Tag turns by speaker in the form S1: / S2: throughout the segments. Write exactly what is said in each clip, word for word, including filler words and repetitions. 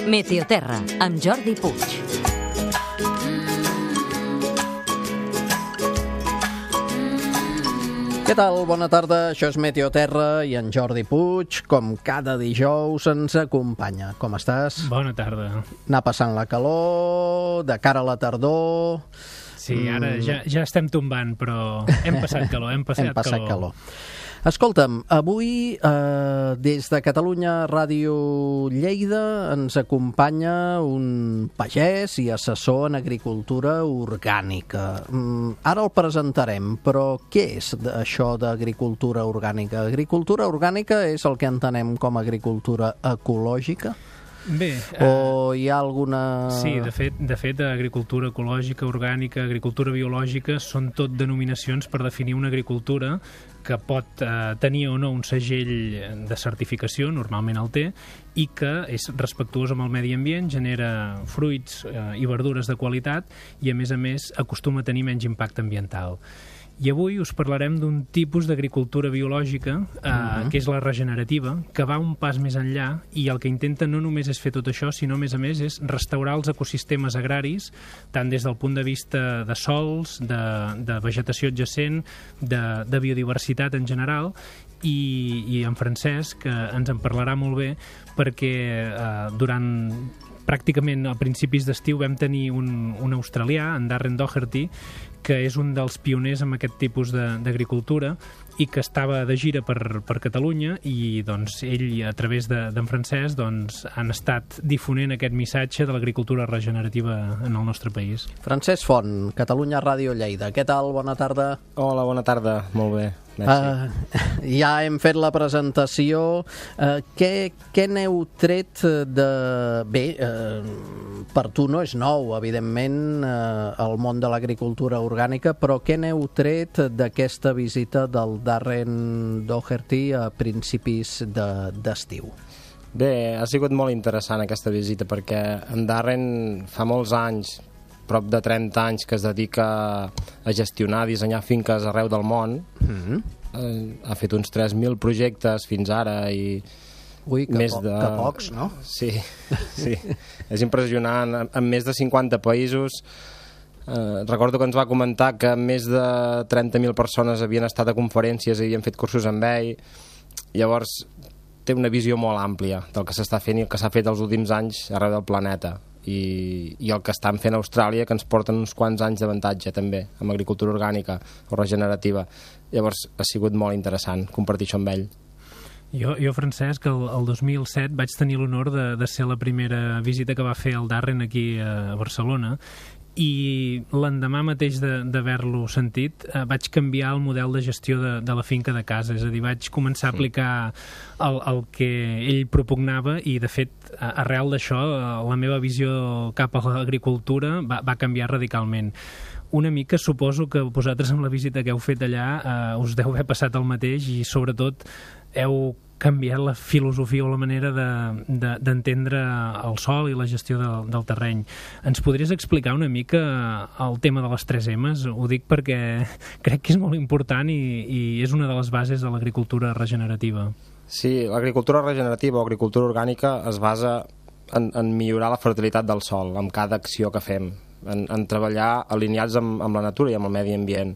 S1: Meteoterra, amb Jordi Puig.
S2: Què tal? Bona tarda, això és Meteoterra i en Jordi Puig, com cada dijous, ens acompanya. Com estàs?
S3: Bona tarda.
S2: Anar passant la calor, de cara a la tardor...
S3: Sí, ara mm. ja, ja estem tombant, però hem passat calor, hem passat,
S2: hem passat
S3: calor.
S2: calor. Escolta'm, avui eh, des de Catalunya Ràdio Lleida ens acompanya un pagès i assessor en agricultura orgànica. Mm, ara el presentarem, però què és això d'agricultura orgànica? Agricultura orgànica és el que entenem com a agricultura ecològica?
S3: Bé,
S2: o hi ha alguna...
S3: Sí, de fet, de fet, agricultura ecològica, orgànica, agricultura biològica són tot denominacions per definir una agricultura que pot eh, tenir o no un segell de certificació, normalment el té, i que és respectuós amb el medi ambient, genera fruits eh, i verdures de qualitat i, a més a més, acostuma a tenir menys impacte ambiental. I avui us parlarem d'un tipus d'agricultura biològica, eh, uh-huh. que és la regenerativa, que va un pas més enllà i el que intenta no només és fer tot això, sinó, a més a més, és restaurar els ecosistemes agraris, tant des del punt de vista de sols, de, de vegetació adjacent, de, de biodiversitat en general, i, i en Francesc, que ens en parlarà molt bé, perquè eh, durant... pràcticament a principis d'estiu vam tenir un, un australià, en Darren Doherty, que és un dels pioners en aquest tipus d'agricultura i que estava de gira per, per Catalunya i doncs, ell, a través d'en de, Francesc, doncs, han estat difonent aquest missatge de l'agricultura regenerativa en el nostre país.
S2: Francesc Font, Catalunya Ràdio Lleida. Què tal? Bona tarda.
S4: Hola, bona tarda. Molt bé.
S2: Uh, ja hem fet la presentació. Uh, què, què n'heu tret de... Bé, uh, per tu no és nou, evidentment, uh, el món de l'agricultura orgànica, però què n'heu tret d'aquesta visita del Darren Doherty a principis d'estiu? De,
S4: Bé, ha sigut molt interessant aquesta visita perquè en Darren fa molts anys, prop de trenta anys, que es dedica a gestionar, a dissenyar finques arreu del món. Mm-hmm. eh, ha fet uns tres mil projectes fins ara i
S2: Ui, que,
S4: més
S2: po
S4: de...
S2: que pocs, no?
S4: Sí, sí. És impressionant. En, en més de cinquanta països. Eh, recordo que ens va comentar que més de trenta mil persones havien estat a conferències i havien fet cursos amb ell. Llavors, té una visió molt àmplia del que s'està fent i el que s'ha fet els últims anys arreu del planeta. I, i el que estan fent a Austràlia, que ens porten uns quants anys d'avantatge també, amb agricultura orgànica o regenerativa. Llavors ha sigut molt interessant compartir això amb ell.
S3: Jo, jo Francesc, el, el dos mil set vaig tenir l'honor de, de ser la primera visita que va fer el Darren aquí a Barcelona i l'endemà mateix d'haver-lo sentit eh, vaig canviar el model de gestió de, de la finca de casa, és a dir, vaig començar a aplicar el, el que ell propugnava i, de fet, arrel d'això, la meva visió cap a l'agricultura va, va canviar radicalment. Una mica suposo que vosaltres amb la visita que heu fet allà eh, us deu haver passat el mateix i, sobretot, heu canviat la filosofia o la manera d'entendre de, de, el sòl i la gestió del, del terreny. Ens podries explicar una mica el tema de les tres emes? Ho dic perquè crec que és molt important i, i és una de les bases de l'agricultura regenerativa.
S4: Sí, l'agricultura regenerativa o agricultura orgànica es basa en, en millorar la fertilitat del sòl amb cada acció que fem, en, en treballar alineats amb, amb la natura i amb el medi ambient.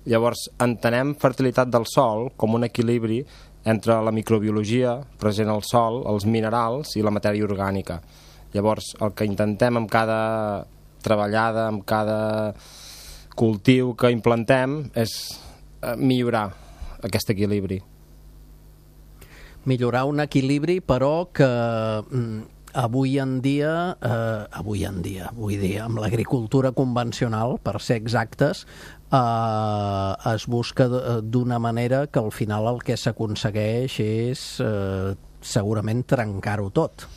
S4: Llavors, entenem fertilitat del sòl com un equilibri entre la microbiologia present al sòl, els minerals i la matèria orgànica. Llavors, el que intentem amb cada treballada, amb cada cultiu que implantem, és millorar aquest equilibri.
S2: Millorar un equilibri, però que avui en dia, eh, avui en dia, vull dir, amb l'agricultura convencional, per ser exactes, eh, es busca d'una manera que al final el que s'aconsegueix és eh, segurament trencar-ho tot.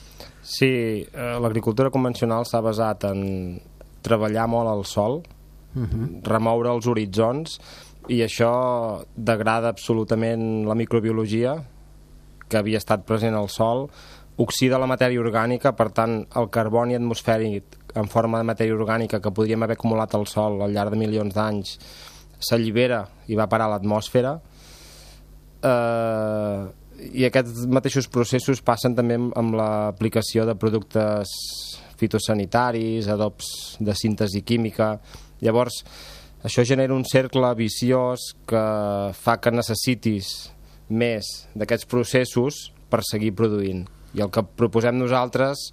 S4: Sí, eh, l'agricultura convencional s'ha basat en treballar molt al sòl, uh-huh. remoure els horitzons, i això degrada absolutament la microbiologia que havia estat present al sòl, oxida la matèria orgànica, per tant, el carboni atmosfèric en forma de matèria orgànica que podríem haver acumulat al sòl al llarg de milions d'anys s'allibera i va parar a l'atmosfera, eh, I aquests mateixos processos passen també amb l'aplicació de productes fitosanitaris, adobs de síntesi química. Llavors, això genera un cercle viciós que fa que necessitis més d'aquests processos per seguir produint. I el que proposem nosaltres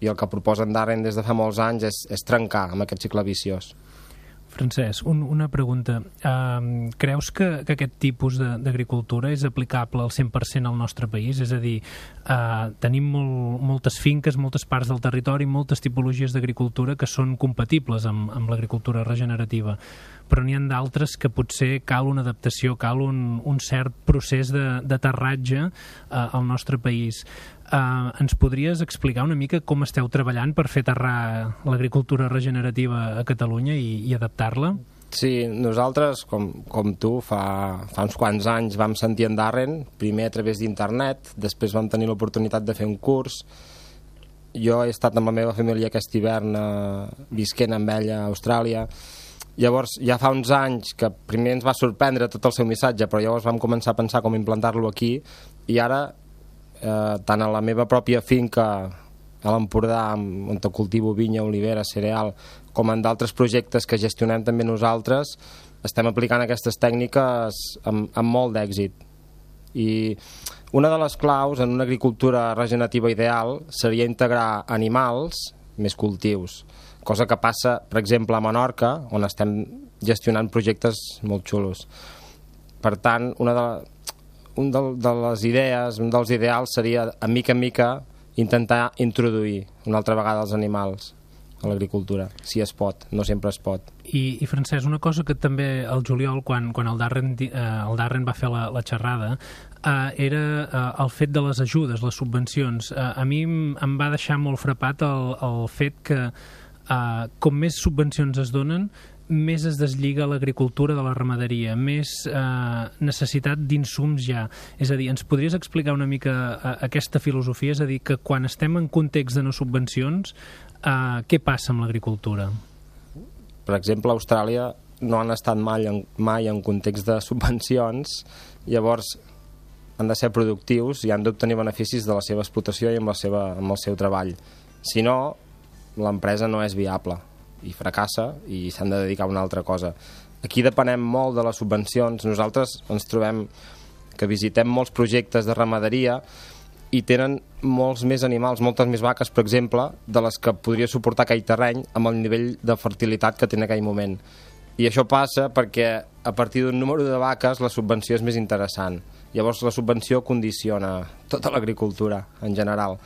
S4: i el que proposen Darren des de fa molts anys és, és trencar amb aquest cicle viciós.
S3: Francesc, un, una pregunta. Uh, creus que, que aquest tipus d'agricultura és aplicable al cent per cent al nostre país? És a dir, uh, tenim molt, moltes finques, moltes parts del territori, moltes tipologies d'agricultura que són compatibles amb, amb l'agricultura regenerativa, però n'hi ha d'altres que potser cal una adaptació, cal un, un cert procés d'aterratge uh, al nostre país. Uh, ens podries explicar una mica com esteu treballant per fer aterrar l'agricultura regenerativa a Catalunya i, i adaptar-la?
S4: Sí, nosaltres, com, com tu, fa, fa uns quants anys vam sentir en Darren, primer a través d'internet, després vam tenir l'oportunitat de fer un curs. Jo he estat amb la meva família aquest hivern eh, visquent amb ella a Austràlia. Llavors, ja fa uns anys que primer ens va sorprendre tot el seu missatge, però llavors vam començar a pensar com implantar-lo aquí, i ara Eh, tant a la meva pròpia finca a l'Empordà, on cultivo vinya, olivera, cereal, com en d'altres projectes que gestionem també nosaltres, estem aplicant aquestes tècniques amb, amb molt d'èxit. I una de les claus en una agricultura regenerativa ideal seria integrar animals més cultius, cosa que passa, per exemple, a Menorca, on estem gestionant projectes molt xulos. Per tant, una de un de, de les idees, un dels ideals seria, a mica en mica, intentar introduir una altra vegada els animals a l'agricultura, si es pot, no sempre es pot.
S3: I, i Francesc, una cosa que també el juliol, quan, quan el, Darren, eh, el Darren va fer la, la xerrada, eh, era eh, el fet de les ajudes, les subvencions. Eh, a mi em va deixar molt frapat el, el fet que eh, com més subvencions es donen, més es deslliga l'agricultura de la ramaderia, més eh, necessitat d'insums ja. És a dir, ens podries explicar una mica eh, aquesta filosofia? És a dir, que quan estem en context de no subvencions, eh, què passa amb l'agricultura?
S4: Per exemple, a Austràlia no han estat mai en, mai en context de subvencions, llavors han de ser productius i han d'obtenir beneficis de la seva explotació i amb, la seva, amb el seu treball. Si no, l'empresa no és viable i fracassa i s'han de dedicar a una altra cosa. Aquí depenem molt de les subvencions. Nosaltres ens trobem que visitem molts projectes de ramaderia i tenen molts més animals, moltes més vaques, per exemple, de les que podria suportar aquell terreny amb el nivell de fertilitat que té en aquell moment. I això passa perquè a partir d'un número de vaques la subvenció és més interessant. Llavors la subvenció condiciona tota l'agricultura en general.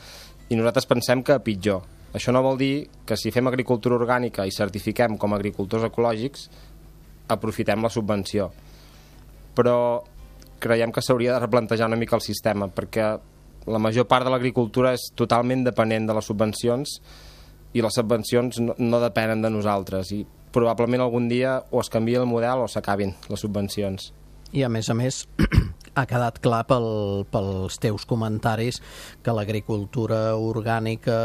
S4: I nosaltres pensem que pitjor. Això no vol dir que si fem agricultura orgànica i certifiquem com a agricultors ecològics, aprofitem la subvenció. Però creiem que s'hauria de replantejar una mica el sistema, perquè la major part de l'agricultura és totalment dependent de les subvencions i les subvencions no, no depenen de nosaltres. I probablement algun dia o es canvia el model o s'acabin les subvencions.
S2: I a més a més ha quedat clar pel, pels teus comentaris que l'agricultura orgànica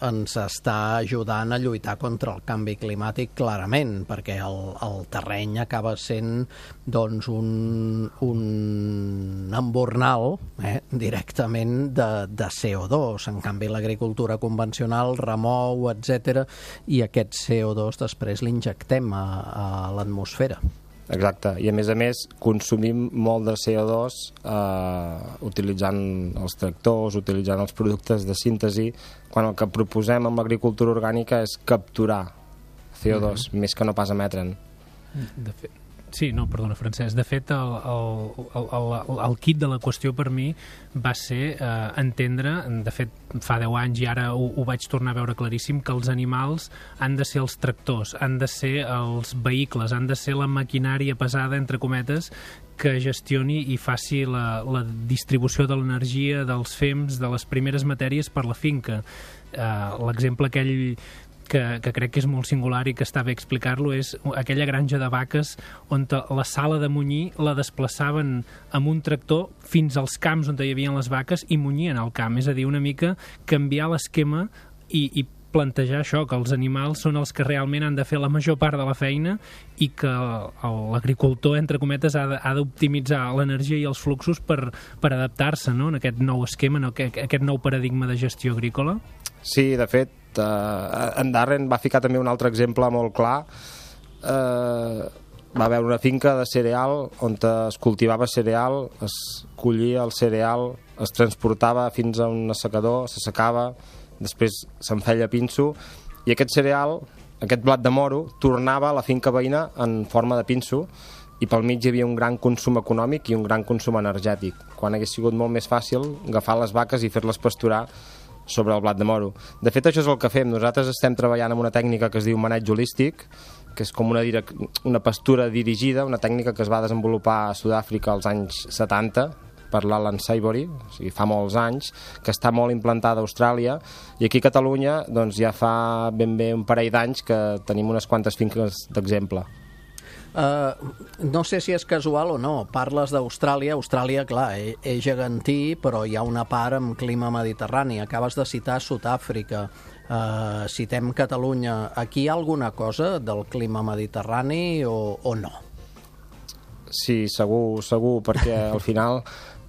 S2: ens està ajudant a lluitar contra el canvi climàtic clarament, perquè el, el terreny acaba sent doncs, un, un embornal eh, directament de, de C O dos. En canvi, l'agricultura convencional remou, etcètera, i aquest C O dos després l'injectem a, a l'atmosfera.
S4: Exacte, i a més a més consumim molt de C O dos eh, utilitzant els tractors, utilitzant els productes de síntesi, quan el que proposem amb l'agricultura orgànica és capturar C O dos, mm-hmm. més que no pas emetre'n.
S3: De fet, sí, no, perdona, Francesc. De fet, el, el, el, el, el kit de la qüestió per mi va ser eh, entendre, de fet, fa deu anys i ara ho, ho vaig tornar a veure claríssim, que els animals han de ser els tractors, han de ser els vehicles, han de ser la maquinària pesada, entre cometes, que gestioni i faci la, la distribució de l'energia, dels fems, de les primeres matèries per la finca. Eh, l'exemple aquell Que, que crec que és molt singular i que està bé explicar-lo, és aquella granja de vaques on la sala de munyir la desplaçaven amb un tractor fins als camps on hi havia les vaques i munyien al camp. És a dir, una mica canviar l'esquema i, i plantejar això, que els animals són els que realment han de fer la major part de la feina i que l'agricultor, entre cometes, ha d'optimitzar l'energia i els fluxos per, per adaptar-se, no?, en aquest nou esquema, en aquest nou paradigma de gestió agrícola. Sí, de fet, eh, en Darren va ficar també un altre exemple molt clar. Eh, va haver una finca de cereal on es cultivava cereal, es collia el cereal, es transportava fins a un assecador, s'assecava, després se'n feia pinso, i aquest cereal, aquest blat de moro, tornava a la finca veïna en forma de pinso, i pel mig hi havia un gran consum econòmic i un gran consum energètic, quan hagués sigut molt més fàcil agafar les vaques i fer-les pasturar sobre el blat de moro. De fet, això és el que fem. Nosaltres estem treballant amb una tècnica que es diu maneig holístic, que és com una, una pastura dirigida, una tècnica que es va desenvolupar a Sud-àfrica als anys setanta, per l'Alan Saibory, o sigui, fa molts anys, que està molt implantada a Austràlia, i aquí a Catalunya doncs, ja fa ben bé un parell d'anys que tenim unes quantes finques d'exemple.
S2: Uh, no sé si és casual o no, parles d'Austràlia. Austràlia, clar, és gegantí, però hi ha una part amb clima mediterrani. Acabes de citar Sud-àfrica, uh, citem Catalunya. Aquí hi ha alguna cosa del clima mediterrani o, o no?
S4: Sí, segur, segur, perquè al final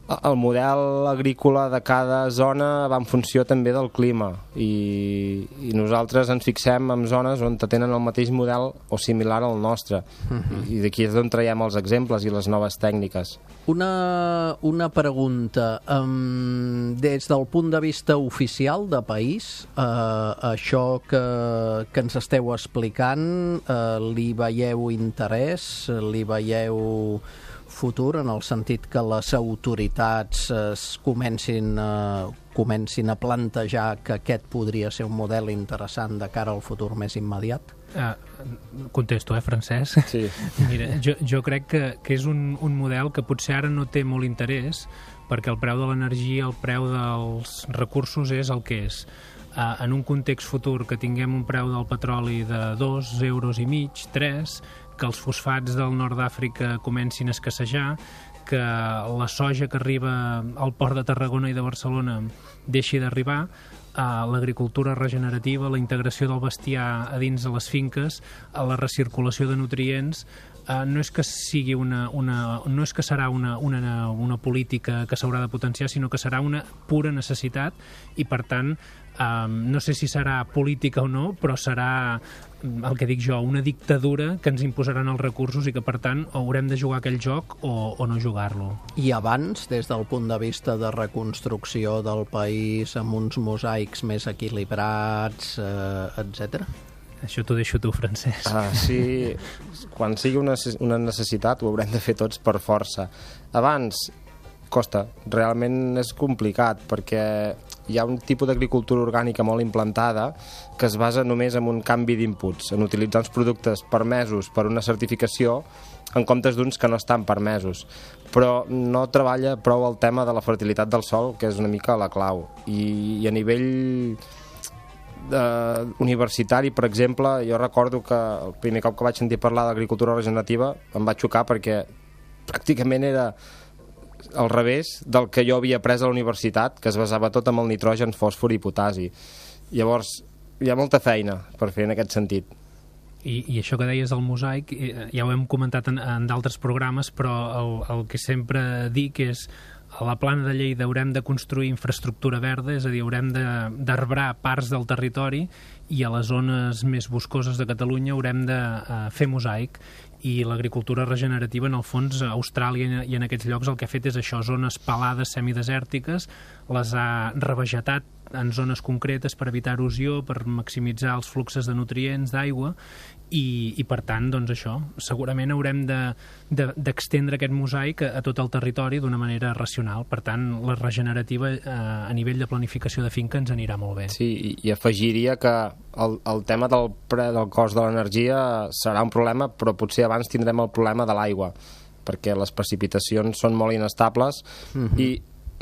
S4: el model agrícola de cada zona va en funció també del clima, i, i nosaltres ens fixem en zones on tenen el mateix model o similar al nostre, uh-huh. i d'aquí és d'on traiem els exemples i les noves tècniques.
S2: Una, una pregunta, um, des del punt de vista oficial de país, uh, això que, que ens esteu explicant, uh, li veieu interès, li veieu futur, en el sentit que les autoritats es comencin a, comencin a plantejar que aquest podria ser un model interessant de cara al futur més immediat?
S3: Uh, contesto, eh, Francesc?
S4: Sí.
S3: Mira, jo, jo crec que, que és un, un model que potser ara no té molt interès, perquè el preu de l'energia, el preu dels recursos és el que és. Uh, en un context futur que tinguem un preu del petroli de dos euros i mig, tres, que els fosfats del nord d'Àfrica comencin a escassejar, que la soja que arriba al port de Tarragona i de Barcelona deixi d'arribar, a l'agricultura regenerativa, la integració del bestiar a dins de les finques, a la recirculació de nutrients, Uh, no és que sigui una, una no és que serà una, una, una política que s'haurà de potenciar, sinó que serà una pura necessitat, i per tant um, no sé si serà política o no, però serà, el que dic jo, una dictadura que ens imposaran els recursos, i que per tant haurem de jugar aquell joc o, o no jugar-lo.
S2: I abans, des del punt de vista de reconstrucció del país amb uns mosaics més equilibrats, eh, etcètera?
S3: Això t'ho deixo tu, Francesc.
S4: Ah, sí, quan sigui una, una necessitat ho haurem de fer tots per força. Abans costa, realment és complicat, perquè hi ha un tipus d'agricultura orgànica molt implantada que es basa només en un canvi d'inputs, en utilitzar uns productes permesos per una certificació en comptes d'uns que no estan permesos, però no treballa prou el tema de la fertilitat del sòl, que és una mica la clau. I, i a nivell Uh, universitari, per exemple, jo recordo que el primer cop que vaig sentir parlar d'agricultura regenerativa em va xocar, perquè pràcticament era al revés del que jo havia après a la universitat, que es basava tot en el nitrogen, fòsfor i potasi. Llavors hi ha molta feina per fer en aquest sentit.
S3: I, i això que deies del mosaic, ja ho hem comentat en, en d'altres programes, però el, el que sempre dic és: a la Plana de Lleida haurem de construir infraestructura verda, és a dir, haurem d'arbrar parts del territori, i a les zones més boscoses de Catalunya haurem de uh, fer mosaic. I l'agricultura regenerativa, en el fons, a Austràlia i en aquests llocs el que ha fet és això, zones pelades semidesèrtiques, les ha revegetat en zones concretes per evitar erosió, per maximitzar els fluxes de nutrients, d'aigua, i, i per tant, doncs això, segurament haurem d'estendre de, de, aquest mosaic a, a tot el territori d'una manera racional. Per tant, la regenerativa eh, a nivell de planificació de finca ens anirà molt bé.
S4: Sí, i, i afegiria que el, el tema del pre del cost de l'energia serà un problema, però potser abans tindrem el problema de l'aigua, perquè les precipitacions són molt inestables, uh-huh. i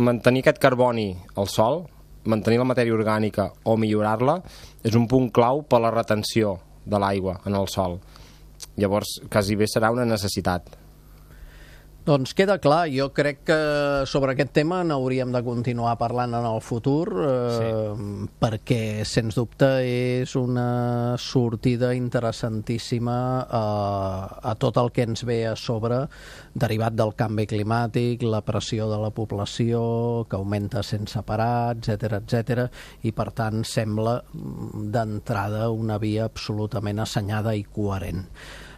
S4: mantenir aquest carboni al sòl, mantenir la matèria orgànica o millorar-la, és un punt clau per a la retenció de l'aigua en el sòl. Llavors, quasi bé serà una necessitat.
S2: Doncs queda clar, jo crec que sobre aquest tema n'hauríem de continuar parlant en el futur, eh, sí. perquè, sens dubte, és una sortida interessantíssima a, a tot el que ens ve a sobre, derivat del canvi climàtic, la pressió de la població, que augmenta sense parar, etcètera, etcètera, i per tant sembla d'entrada una via absolutament assenyada i coherent.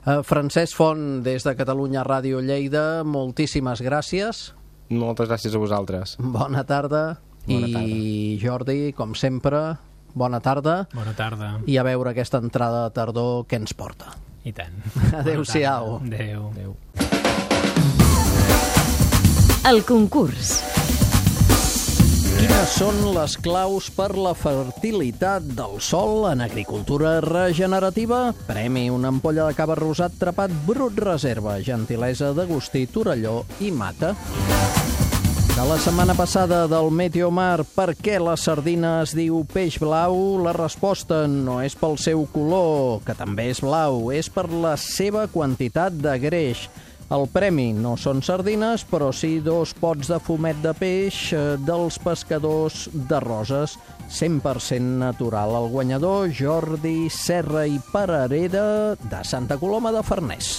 S2: Uh, Francesc Font, des de Catalunya Ràdio Lleida, moltíssimes gràcies.
S4: Moltes gràcies a vosaltres.
S2: Bona tarda.
S4: Bona
S2: I
S4: tarda.
S2: Jordi, com sempre, bona tarda.
S3: Bona tarda.
S2: I a veure aquesta entrada de tardor què ens porta.
S3: I tant.
S2: Adéu-siau.
S3: Adéu.
S4: Adéu.
S1: El concurs.
S2: Quines són les claus per la fertilitat del sòl en agricultura regenerativa? Premi una ampolla de cava rosat trapat Brut Reserva, gentilesa d'Agustí Torelló i Mata. De la setmana passada del Meteomar, per què la sardina es diu peix blau? La resposta no és pel seu color, que també és blau, és per la seva quantitat de greix. El premi no són sardines, però sí dos pots de fumet de peix dels pescadors de Roses, cent per cent natural. El guanyador, Jordi Serra i Parareda, de Santa Coloma de Farners.